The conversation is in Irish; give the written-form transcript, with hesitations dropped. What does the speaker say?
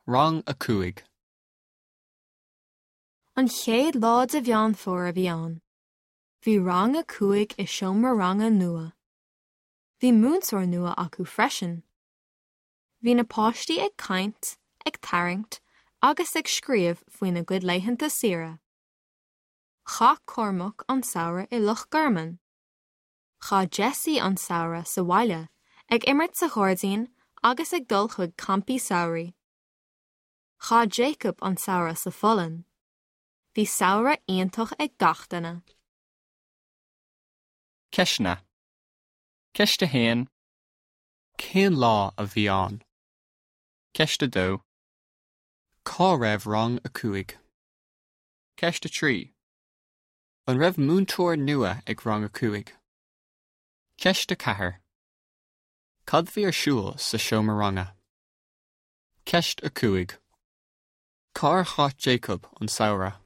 Rang 5. An chéad lá de Mheán Fómhair a bhí ann. Bhí rang a 5 i seomra ranga nua. Bhí múinteoir nua acu freisin. Bhí na páistí ag caint, ag tarraingt agus ag scríobh faoina gcuid laethanta saoire. Chaith Cormac an samhradh i Loch Garman. Chaith Jessie an samhradh sa bhaile ag imirt sa ghairdín agus ag dul chuig campaí samhraidh. Chaith Jacob an samhradh sa Pholainn. Bhí samhradh iontach ag gach duine. Ceisteanna. Ceist 1. Cén lá a bhí ann? Ceist 2. Cá raibh rang 5? Ceist 3. An raibh múinteoir nua ag rang 5? Ceist 4. Cad bhí ar siúl sa seomra ranga? Ceist 5. Cár chaith Jacob an samhradh?